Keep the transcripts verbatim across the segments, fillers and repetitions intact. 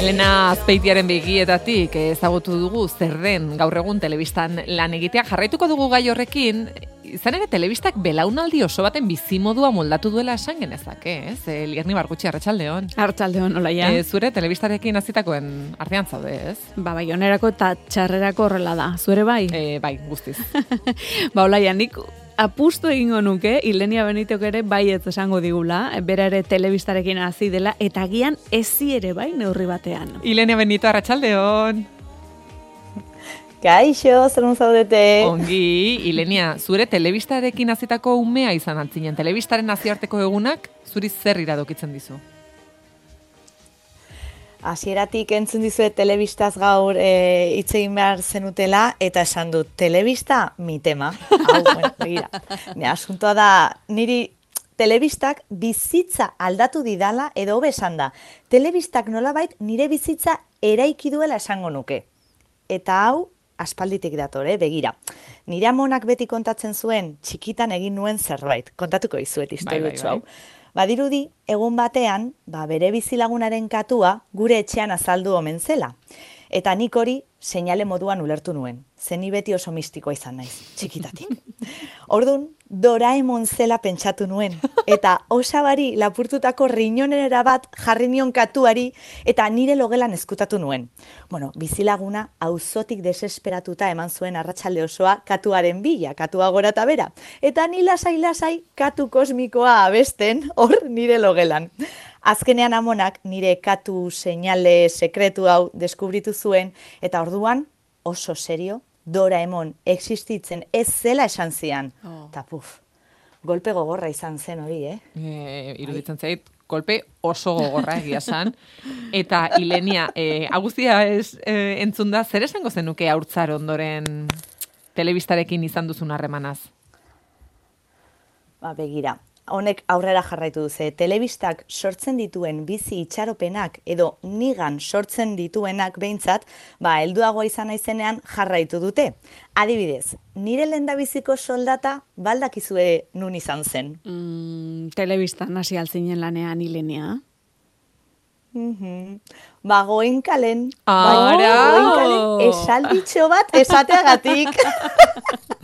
Elena Azpeitiaren begietatik ezagutu dugu zer den gaur egun telebistan lan egitea. Jarraituko dugu gai horrekin, izan ere telebistak belaunaldi oso baten bizimodua moldatu duela esan genezake, ez? E, Lierni Bargutxi, arratsaldeon. Arratsaldeon, olaia. E, zure telebistarekin hasitakoen artean zaude, ez? Ba, bai, onerako eta txarrerako horrela da. Zuere bai? E, bai, guztiz. Ba, olaia, nik apustu egingo nuke, Ilenia Benitok ere baietz esango digula, bera ere telebistarekin hasi dela, eta agian ezi ere bai neurri batean. Ilenia Benito, arratsaldeon. Kaixo, zer zaudete? Ongi, Ilenia, zure telebistarekin hasitako umea izan antzinen. Telebistaren nazioarteko egunak, zuri zer iradokitzen dizu? Hasieratik entzun dizuet telebistaz gaur e, hitz egin behar zenutela, eta esan dut, telebista mi tema. Hau, bueno, begira. Ne, asuntoa da, niri telebistak bizitza aldatu didala, edo hobe esan da. Telebistak nolabait nire bizitza eraiki duela esango nuke. Eta hau, aspalditik dator, eh? Begira. Nire amonak beti kontatzen zuen, txikitan egin nuen zerbait. Kontatuko izuet historiutxo hau. Badirudi, egun batean, ba, bere bizilagunaren katua gure etxean azaldu omen zela. Eta nik hori seinale moduan ulertu nuen. Zeni beti oso mistikoa izan naiz, txikitatik. Ordun, Doraemon zela pentsatu nuen. Eta osabari lapurtutako riñonera bat jarri nion katuari eta nire logelan ezkutatu nuen. Bueno, bizilaguna auzotik desesperatuta eman zuen arratsalde osoa katuaren bila, katua gora eta bera. Eta ni lasai-lasai katu kosmikoa abesten hor nire logelan. Azkenean amonak nire katu seinale sekretu hau deskubritu zuen, eta orduan oso serio Doraemon existitzen ez zela esan zian. Oh. Ta puf, golpe gogorra izan zen hori, eh? E, iruditzen zait, golpe oso gogorra egia san. Eta Ilenia, e, aguzia ez e, entzun da, zer esango zenuke haurtzar ondoren telebistarekin izan duzun harremanaz? Ba, begira. Honek aurrera jarraitu duze, telebistak sortzen dituen bizi itxaropenak edo nigan sortzen dituenak behintzat, ba, helduagoa izan naizenean jarraitu dute. Adibidez, nire lehendabiziko soldata baldakizue nun izan zen. Mm, telebistan hasi altzinen lanean, Ilenia. Mm-hmm. Ba, Goenkalen. Ara! Goenkalen esalditxo bat esateagatik.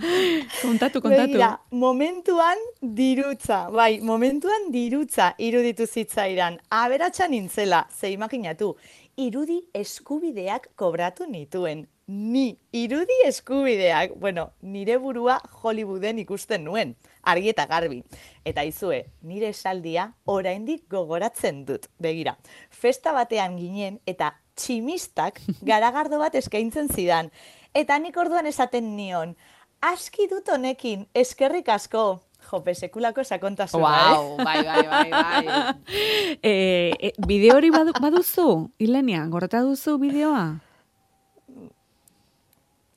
Kontatu, kontatu. Begira, momentuan dirutza, bai, momentuan dirutza iruditu zitzaidan. Aberatsa nintzela, ze imaginatu, irudi eskubideak kobratu nituen. Ni, irudi eskubideak. Bueno, nire burua Hollywooden ikusten nuen, argi eta garbi. Eta izue, nire esaldia oraindik gogoratzen dut. Begira, festa batean ginen eta tximistak garagardo bat eskaintzen zidan. Eta nik orduan esaten nion, aski dut honekin, eskerrik asko. Jope, sekulako sakontasuna, wow, eh? Bai, bai, bai, bai. e, e, bideo hori badu, baduzu, Ilenia, gorreta duzu bideoa?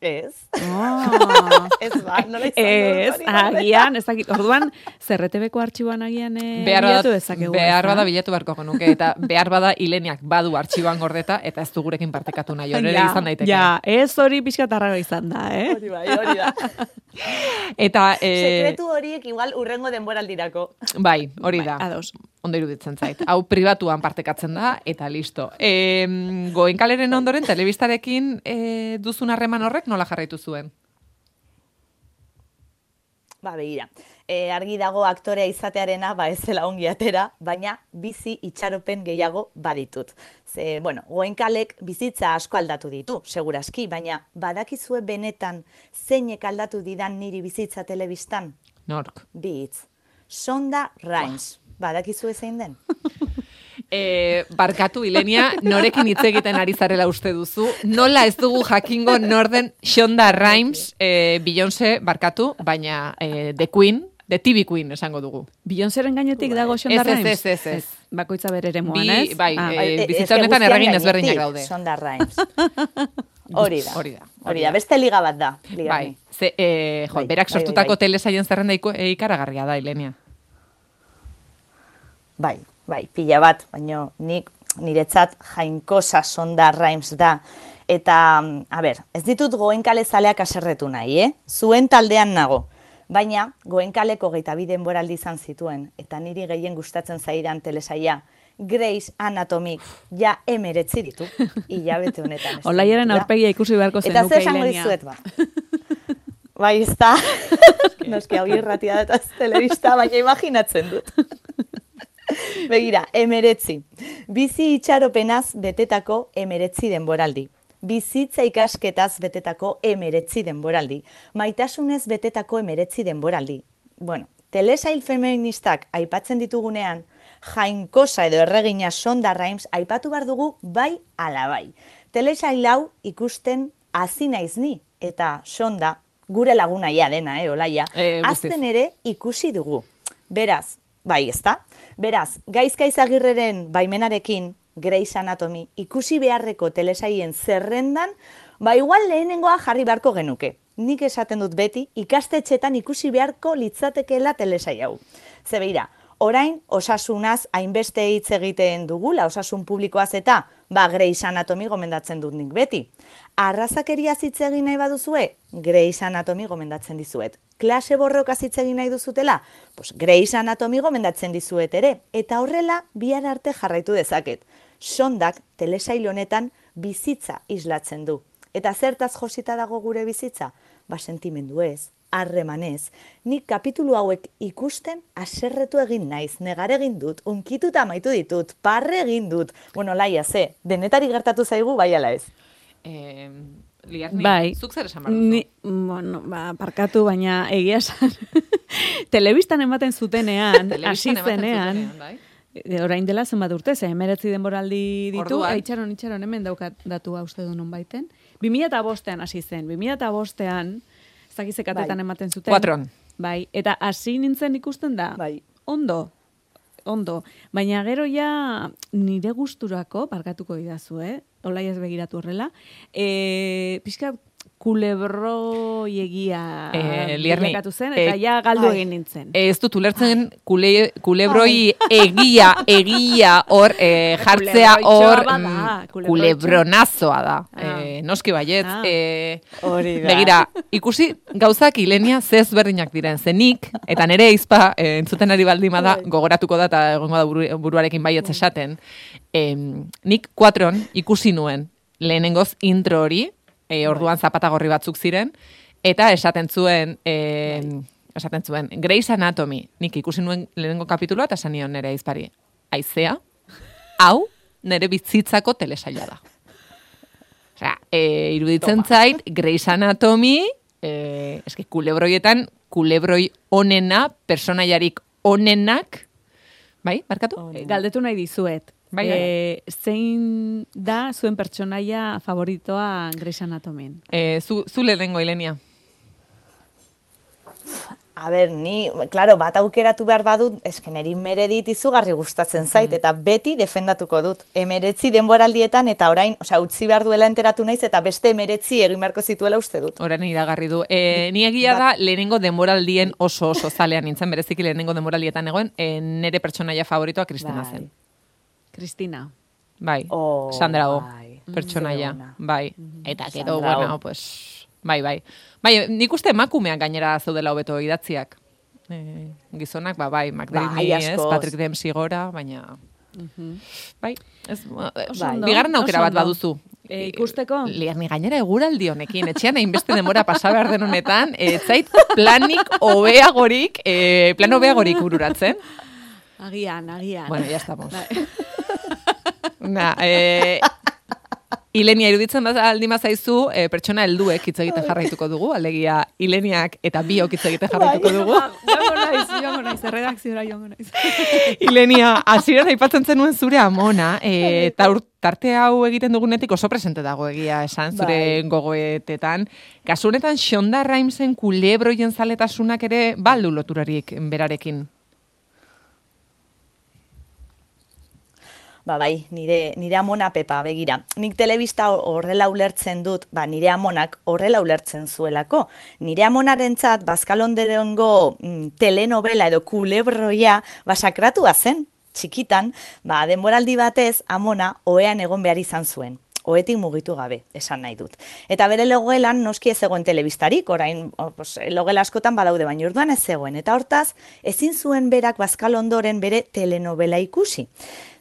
Ez. Oh. Ez ba, nola izan Ez, agian, ez dakit. Orduan, zerretebeko artxiboan agian e, bilatu dezakegu. Behar bada bilatu beharko genuke, eta behar bada Ileniak badu artxiboan gordeta, eta ez du gurekin partekatu nahi, hori ja, izan daiteke. Ja, ez hori pixkatarrago izan da, eh? Hori bai, hori da. Eta, eh, sekretu horiek igual urrengo denboraldirako. Bai, hori da. Bai, ados. Ondo iruditzen zait. Hau pribatuan partekatzen da, eta listo. E, Goenkaleren ondoren, telebistarekin e, duzun harreman horrek nola jarraitu zuen? Ba, begira. E, argi dago aktorea izatearena, ba ez zela ongi atera, baina bizi itxaropen gehiago baditut. Ze, bueno, Goenkalek bizitza asko aldatu ditu, segurazki, baina badakizue benetan zeinek aldatu didan niri bizitza telebistan? Nork? Bi hitz. Shonda Rhimes. Badakizu zein den? E, barkatu, Ilenia, norekin hitz egiten ari zarela uste duzu. Nola ez dugu jakingo norden Shonda Rhimes, e, Beyoncé, barkatu, baina e, The Queen, The T V Queen esango dugu. Beyoncéren gainetik dago Shonda Rhimes? Ez, ez, ez. Bakoitza bere eremuan, ez? Bai, ah. e, bizitza honetan erregin ezberdinak daude. Shonda Rhimes. Hori da. Hori da. Hori da, beste liga bat da. Liga bai, ze, e, jo, bai, berak sortutako bai, bai, bai. telesaien zerrenda ikaragarria da, Ilenia. Bai, bai, pila bat, baina nik niretzat jainkosa Shonda Rhimes da. Eta, a ber, ez ditut Goenkale zaleak aserretu nahi, eh? Zuen taldean nago. Baina, Goenkaleko hogeita bi denboraldi izan zituen, eta niri gehien gustatzen zaidan telesaia, Grey's Anatomy ja emeretzi ditu, hilabete honetan. Olaiaren aurpegia ikusi beharko zenuke, Eta zer esango Ilenia. dizuet, ba? Bai, ez da. Noski hau irratia da eta ez telebista, baina imaginatzen dut. Begira, emeretzi. Bizi itxaropenaz betetako emeretzi denboraldi. Bizitza ikasketaz betetako emeretzi denboraldi. Maitasunez betetako emeretzi denboraldi. Bueno, telesail feministak aipatzen ditugunean, jainkosa edo erregina Shonda Rhimes aipatu behar dugu bai ala bai. Telesail hau ikusten hasi naiz ni, eta Shonda, gure lagunaia dena, eh, olaia, E, azten ere ikusi dugu. Beraz, bai, ezta? Beraz, Gaizka Izagirreren baimenarekin, Grey's Anatomy ikusi beharreko telesaien zerrendan, ba igual lehenengoa jarri beharko genuke. Nik esaten dut beti, ikastetxetan ikusi beharko litzatekeela telesai hau. Ze beira, orain osasunaz hainbeste hitz egiten dugula, osasun publikoaz eta, ba Grey's Anatomy gomendatzen dut nik beti. Arrazakeriaz hitz egin nahi baduzue, Grey's Anatomy gomendatzen dizuet. Klase borrokaz hitz egin nahi duzutela, pues Grey's Anatomy gomendatzen dizuet ere, eta horrela bihar arte jarraitu dezaket. Shondak telesail honetan bizitza islatzen du. Eta zertaz josita dago gure bizitza? Ba sentimendu ez, harremanez. Nik kapitulu hauek ikusten haserretu egin naiz, negar egin dut, unkituta amaitu ditut, parre egin dut. Bueno, laia, ze, denetari gertatu zaigu, bai ala ez. Eh, Liarni, Bai. zuk zer esan behar duzu? Ni, bueno, ba, parkatu, baina egia esan. Telebistan ematen zutenean, hasi Telebistan ematen zenean, zutenean, bai. e, orain dela zenbat urte, ze emeretzi denboraldi ditu, Orduan. e, itxaron, itxaron, hemen daukat datua uste du non baiten. bi mila bostean hasi zen, bi mila bostean, ez dakiz zekatetan Bai. ematen zuten. Kuatron. Bai, eta hasi nintzen ikusten da, Bai. ondo, ondo. Baina gero ja nire gusturako, barkatuko didazu, eh? Olai ez begiratu horrela, e, pixka kulebroiegia Eh, Liarni, bilakatu zen, eta eh, ja galdu ai. egin nintzen. Ez dut ulertzen kule, kulebroi egia, egia hor eh, jartzea Kulebroitxoa hor bada, mm, kulebroitxoa. kulebronazoa da. Ah. Eh, noski baiet. Ah. Eh, Hori da. Begira, ikusi gauzak Ilenia zez berdinak diren zenik, eta nere izpa eh, entzuten ari baldima da, gogoratuko da eta egongo da buru, buruarekin baietz esaten. Eh, nik kuatron ikusi nuen lehenengoz intro hori, e, orduan zapatagorri batzuk ziren, eta esaten zuen, e, esaten zuen, Grey's Anatomy, nik ikusi nuen lehenengo kapituloa, eta esan nion nere aizpari, aizea, hau nere bizitzako telesaila da. Osea, e, iruditzen zait, Grey's Anatomy, e, eske kulebroietan, kulebroi onena, personaiarik onenak, bai, barkatu? E, galdetu nahi dizuet. Bai, e, zein da zuen pertsonaia favoritoa Grey's Anatomyn? E, zu, zu lehenengo, Ilenia. A ber, ni, claro, bat aukeratu behar badut, esken erin Meredith izugarri gustatzen zait, eta beti defendatuko dut. Emeretzi denboraldietan, eta orain, osea, utzi behar duela enteratu naiz, eta beste emeretzi egin beharko zituela uste dut. Orain iragarri du. E, ni egia da, lehenengo denboraldien oso oso zalean nintzen, bereziki lehenengo denboraldietan egoen, e, nere pertsonaia favoritoa Kristina Bai. zen. Kristina. Bai, Oh, Sandra O, bai. pertsonaia, Ze ona. bai. Eta gero, Sandra Oh. bueno, pues, bai, bai. Bai, nik uste emakumeak gainera zeudela hobeto idatziak. E, gizonak, ba, bai, McDreamy, Bai, ez, askoz. Patrick Dempsey gora, baina... Bai, ez, Oso Bai. ondo, bigarren aukera oso bat ondo. baduzu. E, ikusteko? Liarni gainera eguraldi honekin, etxean hainbeste denbora pasa behar den honetan, ez zait planik hobeagorik, e, plan hobeagorik bururatzen. Agian, agian. Bueno, ya estamos. Na, eh, Ilenia iruditzen bat aldi mazaizu, eh, pertsona helduek hitz egiten jarraituko dugu, alegia Ileniak eta biok hitz egiten jarraituko dugu. Joango naiz, joango naiz, erredakziora joango naiz. Ilenia, hasieran aipatzen zenuen zure amona, eh, eta ur- tarte hau egiten dugunetik oso presente dago egia esan, zure Bai. gogoetetan. Kasu honetan, Shonda Rhimesen kulebroien zaletasunak ere baldu loturarik berarekin. Ba, bai, nire, nire amona Pepa, begira. Nik telebista horrela ulertzen dut, ba, nire amonak horrela ulertzen zuelako. Nire amonarentzat Bazkalonderengo mm, telenovela edo kulebroia basakratua zen, txikitan, ba, denboraldi batez amona ohean egon behar izan zuen. oetik mugitu gabe, esan nahi dut. Eta bere logelan noski ez zegoen telebistarik, orain pues, logela askotan badaude, baina orduan ez zegoen. Eta hortaz, ezin zuen berak Bazkal ondoren bere telenovela ikusi.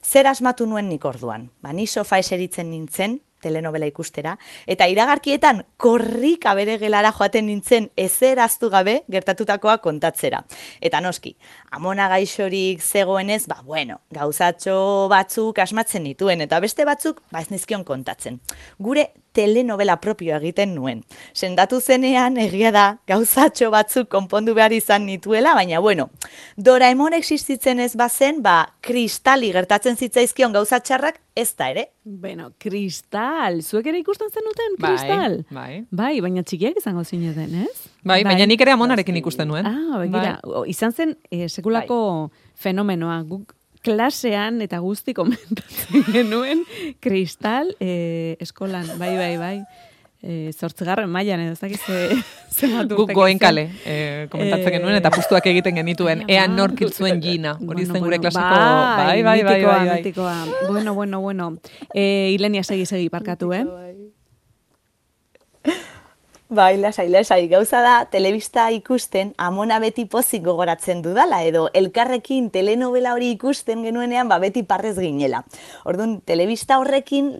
Zer asmatu nuen nik orduan? Ba, ni sofa eseritzen nintzen, telenovela ikustera, eta iragarkietan korrika bere gelara joaten nintzen ezer ahaztu gabe gertatutakoa kontatzera. Eta noski, amona gaixorik zegoenez, ba bueno, gauzatxo batzuk asmatzen nituen, eta beste batzuk ba ez nizkion kontatzen. Gure telenovela propio egiten nuen. Sendatu zenean egia da gauzatxo batzuk konpondu behar izan nituela, baina bueno, Doraemon existitzen ez bazen, ba kristali gertatzen zitzaizkion gauzatxarrak ez da ere. Bueno, kristal, zuek ere ikusten zenuten kristal? Bai, bai. Bai, baina txikiak izango zineten, ez? Bai, baina nik ere amonarekin ikusten nuen. Ah, begira, bai. Izan zen eh, sekulako bai. Fenomenoa, guk klasean eta guzti komentatzen genuen kristal eh, eskolan, bai, bai, bai. Eh, zortzigarren mailan edo, ez dakiz zenbat urtek. Guk goenkale eh, komentatzen eh, genuen eta pustuak egiten genituen, ea nork hil zuen Gina. Hori zen gure klasiko, bai, bai, bai, bai, bai. Mitikoa. Bueno, bueno, bueno. Eh, Ilenia segi segi parkatu, eh? Bai, lasai, lasai, gauza da, telebista ikusten amona beti pozik gogoratzen dudala, edo elkarrekin telenovela hori ikusten genuenean, ba beti parrez ginela. Orduan, telebista horrekin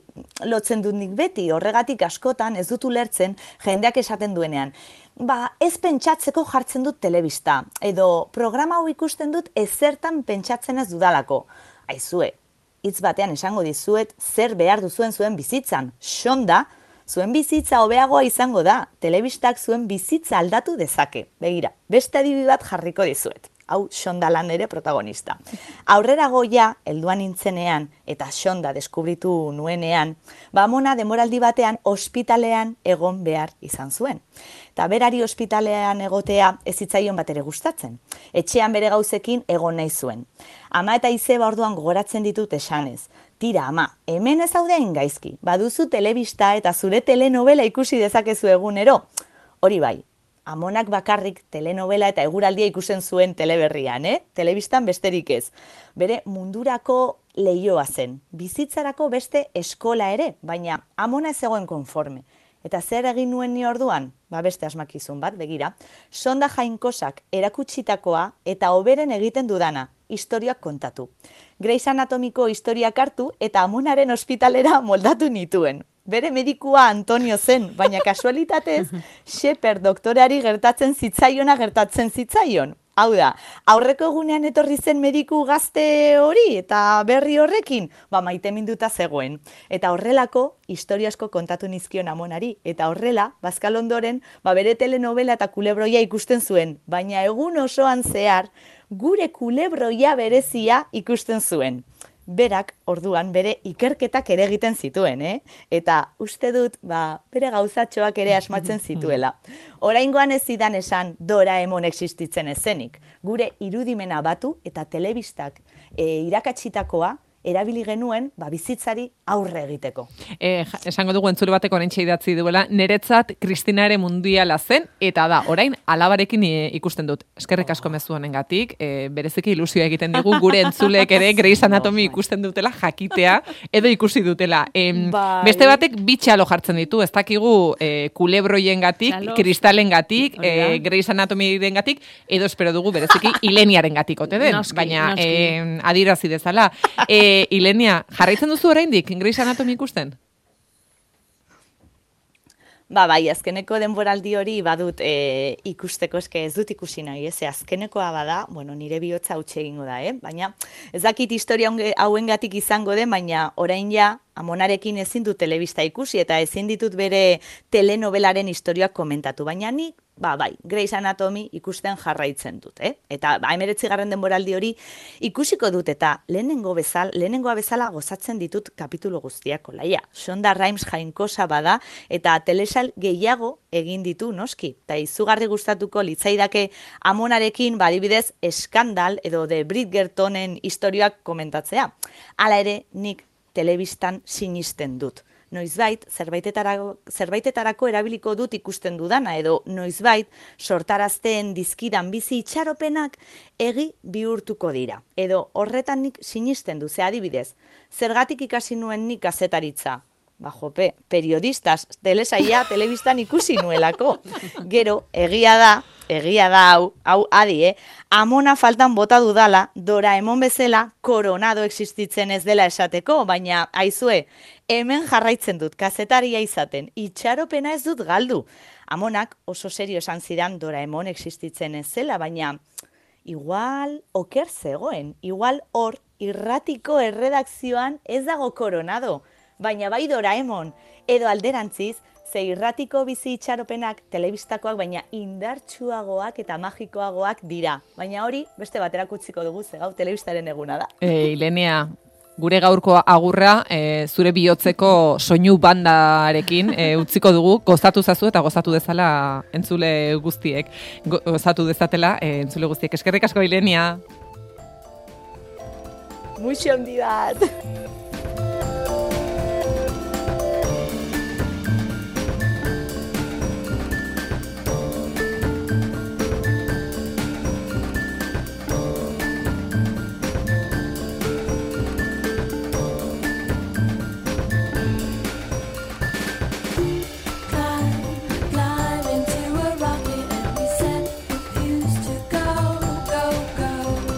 lotzen dut nik beti, horregatik askotan ez dut ulertzen jendeak esaten duenean. Ba, ez pentsatzeko jartzen dut telebista, edo programa hau ikusten dut ezertan pentsatzen ez dudalako. Aizue, hitz batean esango dizuet zer behar duzuen zuen bizitzan, xonda, zuen bizitza hobeagoa izango da, telebistak zuen bizitza aldatu dezake. Begira, beste adibi bat jarriko dizuet. Hau Xonda lan ere protagonista. Aurrera goia, helduan nintzenean, eta Xonda deskubritu nuenean, ba amona demoraldi batean ospitalean egon behar izan zuen. Eta berari ospitalean egotea ez zitzaion bat ere gustatzen. Etxean bere gauzekin egon nahi zuen. Ama eta izeba orduan gogoratzen ditut esanez. Tira, ama, hemen ez haudein gaizki, baduzu telebista eta zure telenovela ikusi dezakezu egunero. Hori bai, amonak bakarrik telenovela eta eguraldia ikusten zuen teleberrian, eh? Telebistan besterik ez. Bere mundurako lehioa zen, bizitzarako beste eskola ere, baina amona ez zegoen konforme. Eta zer egin nuen ni orduan? Ba beste asmakizun bat, begira. Sonda Jainkosak erakutsitakoa eta hoberen egiten dudana, historiak kontatu. Grey's Anatomiko historiak hartu eta amonaren ospitalera moldatu nituen. Bere medikua Antonio zen, baina kasualitatez, Shepard doktoreari gertatzen zitzaiona gertatzen zitzaion. Hau da, aurreko egunean etorri zen mediku gazte hori eta berri horrekin, ba maite minduta zegoen. Eta horrelako historia asko kontatu nizkion amonari, eta horrela, Bazkal ondoren, ba bere telenovela eta kulebroia ikusten zuen, baina egun osoan zehar, gure kulebroia berezia ikusten zuen. Berak, orduan, bere ikerketak ere egiten zituen, eh? Eta uste dut, ba, bere gauzatxoak ere asmatzen zituela. Oraingoan ez zidan esan Doraemon existitzen ezenik. Gure irudimena batu eta telebistak e, irakatsitakoa erabili genuen ba, bizitzari aurre egiteko. E, esango dugu entzule bateko orentxe idatzi duela, neretzat Kristina ere mundiala zen, eta da, orain alabarekin ikusten dut. Eskerrik asko mezu honengatik, e, bereziki ilusioa egiten digu, gure entzulek ere Grey's Anatomy ikusten dutela jakitea, edo ikusi dutela. E, beste batek bitxalo jartzen ditu, ez dakigu e, kulebroien gatik, kristalen gatik, e, Grey's Anatomy den gatik, edo espero dugu bereziki Ileniaren gatik, ote den, noski, baina noski. E, adirazi dezala. E, Ilenia, jarraitzen duzu oraindik Grey's Anatomy ikusten? Ba, bai, azkeneko denboraldi hori badut e, ikusteko, eske ez dut ikusi nahi, ez, azkenekoa bada, bueno, nire bihotza hautsi egingo da, eh? Baina ez dakit historia hauengatik izango den, baina orain ja, amonarekin ezin dut telebista ikusi eta ezin ditut bere telenovelaren historiak komentatu, baina nik, ba, bai, Grey's Anatomy ikusten jarraitzen dut, eh? Eta ba, hemeretzigarren denboraldi hori ikusiko dut eta lehenengo bezal, lehenengoa bezala gozatzen ditut kapitulu guztiak olaia. Shonda Rhimes jainkosa bada eta telesal gehiago egin ditu noski. Eta izugarri gustatuko litzaidake amonarekin badibidez eskandal edo de Bridgertonen historiak komentatzea. Hala ere, nik telebistan sinisten dut. Noizbait, zerbaitetarako, zerbaitetarako erabiliko dut ikusten dudana, edo noizbait, sortarazten dizkidan bizi itxaropenak egi bihurtuko dira. Edo horretan nik sinisten du, ze adibidez, zergatik ikasi nuen nik kazetaritza? ba jope, periodistas, telesaia, telebistan ikusi nuelako. Gero, egia da, egia da hau, hau adi, eh? Amona faltan bota dudala, Doraemon bezala koronado existitzen ez dela esateko, baina aizue, hemen jarraitzen dut, kazetaria izaten, itxaropena ez dut galdu. Amonak oso serio esan zidan Doraemon existitzen ez zela, baina igual oker zegoen, igual hor irratiko erredakzioan ez dago koronado, baina bai Doraemon, edo alderantziz, ze irratiko bizi itxaropenak telebistakoak baina indartsuagoak eta magikoagoak dira. Baina hori beste baterak utziko dugu, ze gau telebistaren eguna da. E, Ilenia, gure gaurko agurra e, zure bihotzeko soinu bandarekin e, utziko dugu, gozatu zazu eta gozatu dezala entzule guztiek. Gozatu dezatela e, entzule guztiek. Eskerrik asko, Ilenia. Muixo handi bat.